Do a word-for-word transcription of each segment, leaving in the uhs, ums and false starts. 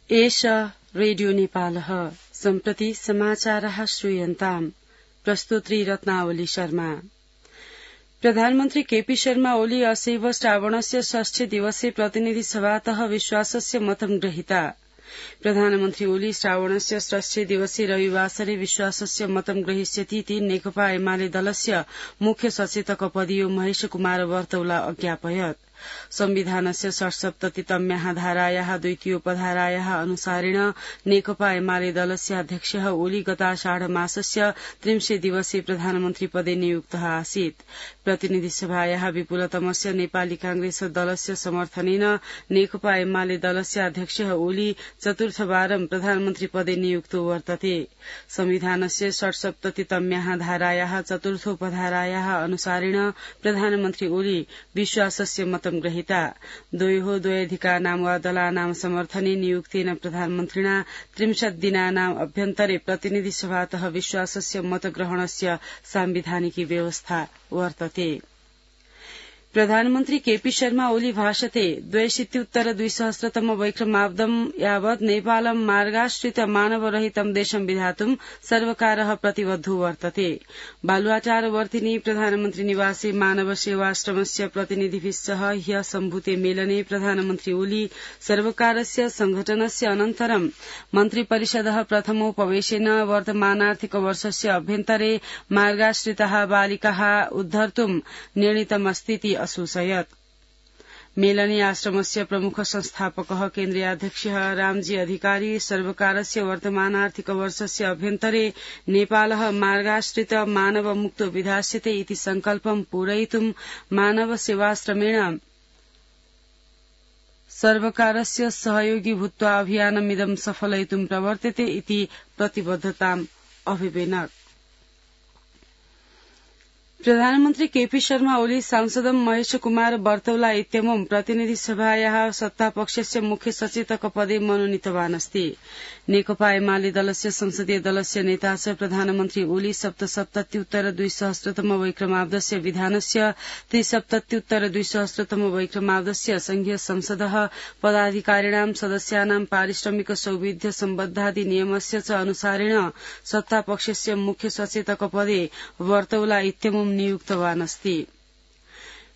एष रेडियो नेपालः सम्प्रति समाचारः श्रूयन्ताम् प्रस्तुत्री रत्नावली शर्मा। प्रधानमन्त्री केपी शर्मा ओली असैव श्रावणस्य षष्ठी दिवसे प्रतिनिधि सभातः विश्वासस्य मतं गृहीता। प्रधानमन्त्री ओली श्रावणस्य षष्ठी दिवसे रविवासरे विश्वासस्य मतं ग्रहीष्यतीति नेकपा एमाले दलस्य मुख्य सचेतक पदीयो महेश कुमार वर्तौला अज्ञापयत्। संविधानस्य षट्सप्ततितम्याः धारायाः द्वितीयोपधारायाः अनुसारेण नेकपा एमाले दलस्य अध्यक्षः ओली गताषाढ मासस्य त्रिंशे दिवसे प्रधानमन्त्री पदे नियुक्तः आसीत्। प्रतिनिधि सभायाः विपुलतमस्य नेपाली कांग्रेस दलस्य समर्थनेन नेकपा एमाले दलस्य अध्यक्षः ओली चतुर्थवारं प्रधानमन्त्री पदे नियुक्तो वर्तते। संविधानस्य षट्सप्ततितम्याः धारायाः चतुर्थोपधारायाः अनुसारेण प्रधानमन्त्री ओली विश्वासस्य मतं गृहीता। द्वयोः द्वयधिकानां वा दलानां समर्थने नियुक्तेन प्रधानमन्त्रिणा त्रिंशत् दिनानाम् अभ्यन्तरे प्रतिनिधि सभातः विश्वासस्य मतग्रहणस्य सांविधानिकी व्यवस्था वर्तते। प्रधानमन्त्री केपी शर्मा ओली भाषते द्वयशीत्युत्तर द्विसहस्रतम वैक्रमाब्दं यावत् नेपालं मार्गाश्रित मानवरहितं देशं विधातुं सर्वकारः प्रतिबद्धो वर्तते। बालुवाटारवर्तिनी प्रधानमन्त्री निवासे मानव सेवाश्रमस्य प्रतिनिधिभिः सह ह्यः सम्भूते मेलने प्रधानमन्त्री ओली सर्वकारस्य संघटनस्य अनन्तरं मन्त्रिपरिषदः प्रथमोपवेशेन वर्तमानार्थिक वर्षस्य अभ्यन्तरे मार्गाश्रिताः बालिकाः उद्धर्तुं निर्णीतमस्तीति असूचयत्। मेलने आश्रमस्य प्रमुख संस्थापकः केन्द्रीयाध्यक्षः रामजी अधिकारी सर्वकारस्य वर्तमानार्थिक वर्षस्य अभ्यन्तरे नेपालः मार्गाश्रित मानव मुक्तो विधास्यते इति संकल्पं पूरयितुं मानव सेवाश्रमेण सर्वकारस्य सहयोगी भूत्वा अभियानमिदं सफलयितुं प्रवर्तते इति प्रतिबद्धताम् अभिवेनक। प्रधानमन्त्री केपी शर्मा ओली सांसदं महेश कुमार वर्तौला इत्यमुं प्रतिनिधि सभायाः सत्तापक्षस्य मुख्य सचेतक पदे मनोनीतवान् अस्ति। नेकपा एमाले दलस्य संसदीय दलस्य नेता च प्रधानमन्त्री ओली सप्तसप्तत्युत्तर द्विसहस्रतम वैक्रमाब्दस्य विधानस्य त्रिसप्तत्युत्तर द्विसहस्रतम वैक्रमाब्दस्य संघीय संसदः पदाधिकारिणां सदस्यानां पारिश्रमिक सौविध्य सम्बद्धादि नियमस्य च अनुसारेण सत्तापक्षस्य मुख्य सचेतक पदे वर्तौला इत्यमुं नियुक्तवान् अस्ति।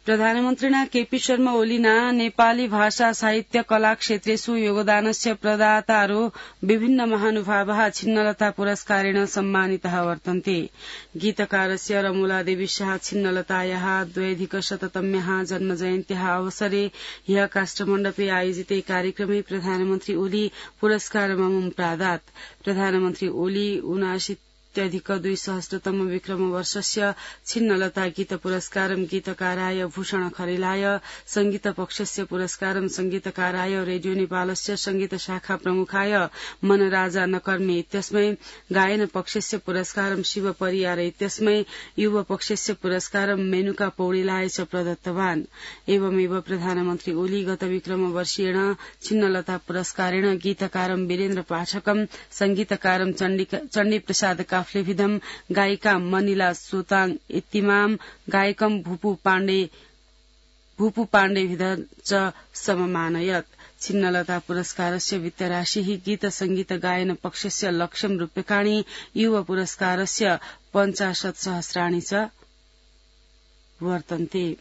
प्रधानमन्त्रिणा केपी शर्मा ओलिना नेपाली भाषा साहित्य कला क्षेत्रेषु योगदानस्य प्रदातारो विभिन्न महानुभावः छिन्नलता पुरस्कारेण सम्मानितः वर्तन्ते। गीतकारस्य रमोलादेवी शाह छिन्नलतायाः द्व्यधिकशततम्याः जन्मजयन्त्याः अवसरे ह्यः काष्ठमण्डपे आयोजिते कार्यक्रमे प्रधानमन्त्री ओली पुरस्कारममुं प्रादात्। प्रधानमन्त्री ओली ऊनाशीति अधिक द्विसहस्रतम विक्रम वर्षस्य छिन्नलता गीत पुरस्कारं गीतकाराय भूषण खरेलाय, संगीत पक्षस्य पुरस्कारं संगीतकाराय रेडियो नेपालस्य संगीत शाखा प्रमुखाय मनराजा नकर्मे इत्यस्मै, गायन पक्षस्य पुरस्कारं शिव परियार इत्यस्मै, युव पक्षस्य पुरस्कारं मेनुका पौडेलाय च प्रदत्तवान्। एवमेव प्रधानमन्त्री ओली गत विक्रम वर्षेण छिन्नलता पुरस्कारेण गीतकारं वीरेन्द्र पाठकं, संगीतकारं चण्डी प्रसाद काफ्लेभिदम, गायिका मनिला सोताङ इत्तिमाम, गायकं भूपू पाण्डे भूपू पाण्डेभिद च सममानयत्। छिन्नलता पुरस्कारस्य वित्तराशिः गीत संगीत गायन पक्षस्य लक्षं रूप्यकाणि, युव पुरस्कारस्य पञ्चाशत् सहस्राणि च वर्तन्ते।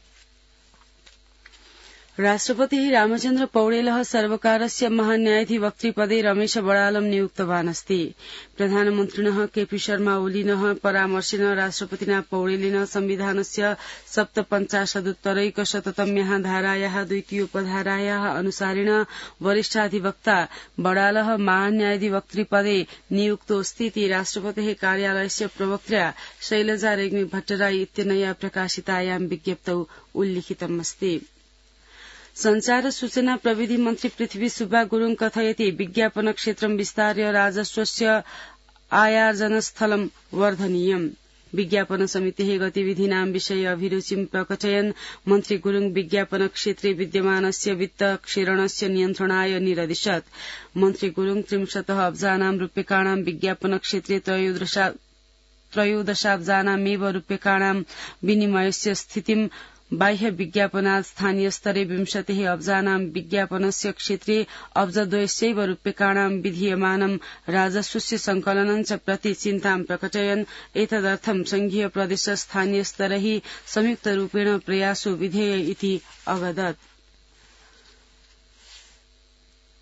राष्ट्रपतिः रामचन्द्र पौडेलः सर्वकारस्य महान्यायाधिवक्तृपदे रमेश बडालं नियुक्तवान् अस्ति। प्रधानमन्त्रिणः केपी शर्मा ओलिनः परामर्शेन राष्ट्रपतिना पौडेलेन संविधानस्य सप्तपञ्चाशदुत्तरैकशततम्याः धारायाः द्वितीयोपधारायाः अनुसारेण वरिष्ठाधिवक्ता बडालः महान्यायाधिवक्तृपदे नियुक्तोऽस्ति इति राष्ट्रपतेः कार्यालयस्य प्रवक्त्रा शैलजा रेग्मी भट्टराई इत्यनया प्रकाशितायां विज्ञप्तौ उल्लिखितमस्ति। संचार सूचना प्रविधि मन्त्री पृथ्वी सुब्बा गुरुङ कथयति विज्ञापन क्षेत्रं विस्तार्य राजस्वस्य आयार्जनस्थलं वर्धनीयम्। विज्ञापन समितेः गतिविधीनां विषये अभिरुचिं प्रकटयन् मन्त्री गुरुङ विज्ञापन क्षेत्रे विद्यमानस्य वित्त क्षीणस्य नियन्त्रणाय निरदिशत्। मन्त्री गुरुङ त्रिंशतः अब्जानां रूप्यकाणां विज्ञापन क्षेत्रे त्रयोदशाब्जानामेव रूप्यकाणां विनिमयस्य स्थितिं बाह्य विज्ञापनात् स्थानीय स्तरे विंशतिः अब्जानां विज्ञापनस्य क्षेत्रे अब्जद्वयस्यैव रूप्यकाणां विधीयमानं राजस्वस्य संकलनं च प्रति चिन्तां प्रकटयन् एतदर्थं संघीय प्रदेश स्थानीय स्तरैः संयुक्तरूपेण प्रयासो विधेय इति अवदत्।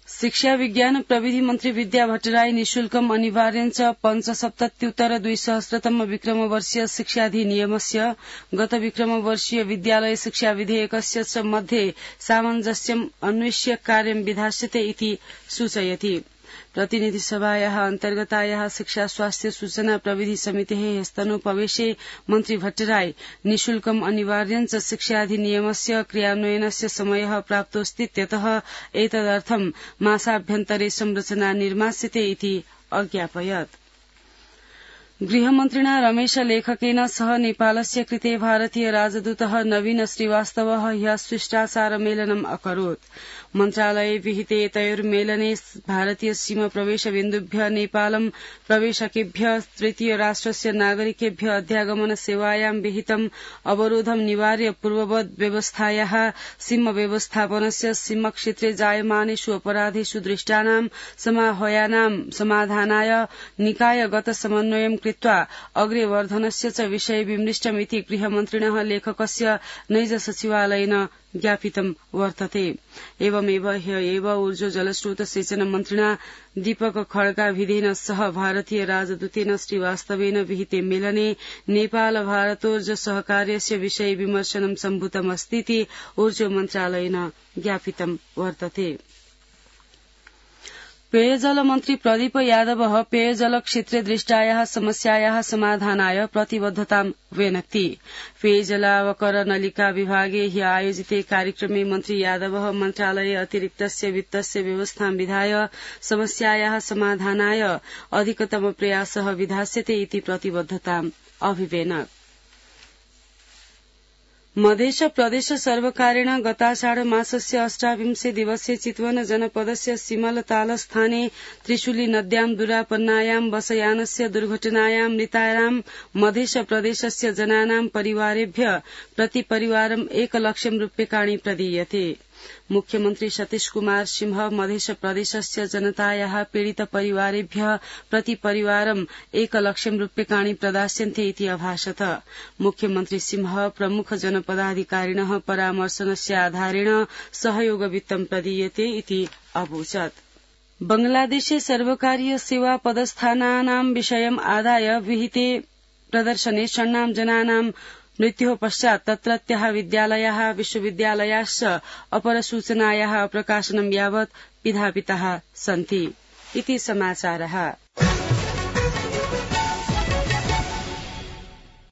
शिक्षा विज्ञान प्रविधि मन्त्री विद्या भट्टराई निशुल्कम् अनिवार्यञ्च पञ्चसप्तत्युत्तर द्विसहस्रतम विक्रमवर्षीय शिक्षाधिनियमस्य गत विक्रमवर्षीय विद्यालय शिक्षा विधेयकस्य च मध्ये सामञ्जस्यम् अन्वेष्य कार्यं विधास्यते इति सूचयति। प्रतिनिधि सभायाः अन्तर्गतायाः शिक्षा स्वास्थ्य सूचना प्रविधि समितेः हस्तनोपवेशे मन्त्री भट्टराई निशुल्कम् अनिवार्यञ्च शिक्षाधिनियमस्य क्रियान्वयनस्य समयः प्राप्तोऽस्तीत्यतः एतदर्थं मासाभ्यन्तरे संरचना निर्मास्यते इति अज्ञापयत्। गृहमन्त्रिणा रमेश लेखकेन सह नेपालस्य कृते भारतीय राजदूतः नवीन श्रीवास्तवः ह्यः शिष्टाचारमेलनम् अकरोत्। मन्त्रालये विहिते तयोर्मेलने भारतीय सीमा प्रवेश बिन्दुभ्य नेपालं प्रवेशकेभ्य तृतीय राष्ट्रस्य नागरिकेभ्य अध्यागमन सेवायां विहितम् अवरोधं निवार्य पूर्ववद् व्यवस्थायाः सीम व्यवस्थापनस्य सीम क्षेत्रे जायमानेषु अपराधेषु दृष्टानां समाह्वयानां समाधानाय निकायगत समन्वयं कृत्वा अग्रे वर्धनस्य च विषये विमृष्टमिति गृहमन्त्रिणः लेखकस्य नैज सचिवालयेन ज्ञापितं वर्तते। एवमेव ह्य एव ऊर्जो जलस्रोत सेचन मन्त्रिणा दीपक खड्गाभिधेन सह भारतीय राजदूतेन श्रीवास्तवेन विहिते मेलने नेपाल भारतोर्ज सहकार्यस्य विषये विमर्शनं सम्भूतमस्तीति ऊर्जो मन्त्रालयेन ज्ञापितं वर्तते। पेयजल मन्त्री प्रदीप यादवः पेयजल क्षेत्रे दृष्टायाः समस्यायाः समाधानाय प्रतिबद्धतां व्यनक्ति। पेयजलावकर नलिका विभागे ह्य आयोजिते कार्यक्रमे मन्त्री यादवः मन्त्रालये अतिरिक्तस्य वित्तस्य व्यवस्थां विधाय समस्यायाः समाधानाय अधिकतम प्रयासः विधास्यते इति प्रतिबद्धताम् अभिवेनक्। मधेश प्रदेश सर्वकारेण गताषाढ मासस्य अष्टाविंशे दिवसे चितवन जनपदस्य सिमलतालस्थाने त्रिशूली नद्यां दुरापन्नायां बसयानस्य दुर्घटनायां मृतानां मधेश प्रदेशस्य जनानां परिवारेभ्य प्रति परिवारम् एकलक्षं रूप्यकाणि प्रदीयते। मुख्यमन्त्री सतीश कुमार सिंह मधेश प्रदेशस्य जनतायाः पीडित परिवारेभ्य प्रति परिवारम् एकलक्षं रूप्यकाणि प्रदास्यन्ते इति अभाषत। मुख्यमन्त्री सिंह प्रमुख जनपदाधिकारिणः परामर्शनस्य आधारेण सहयोगवित्तं प्रदीयते इति अवोचत्। बंगलादेशे सर्वकारीय सेवा पदस्थानानां विषयम् आदाय विहिते प्रदर्शने षण्णां जनानां मृत्योः पश्चात् तत्रत्यः विद्यालयाः विश्वविद्यालयाश्च अपरसूचनायाः प्रकाशनं यावत् विधापिताः सन्ति इति समाचारः।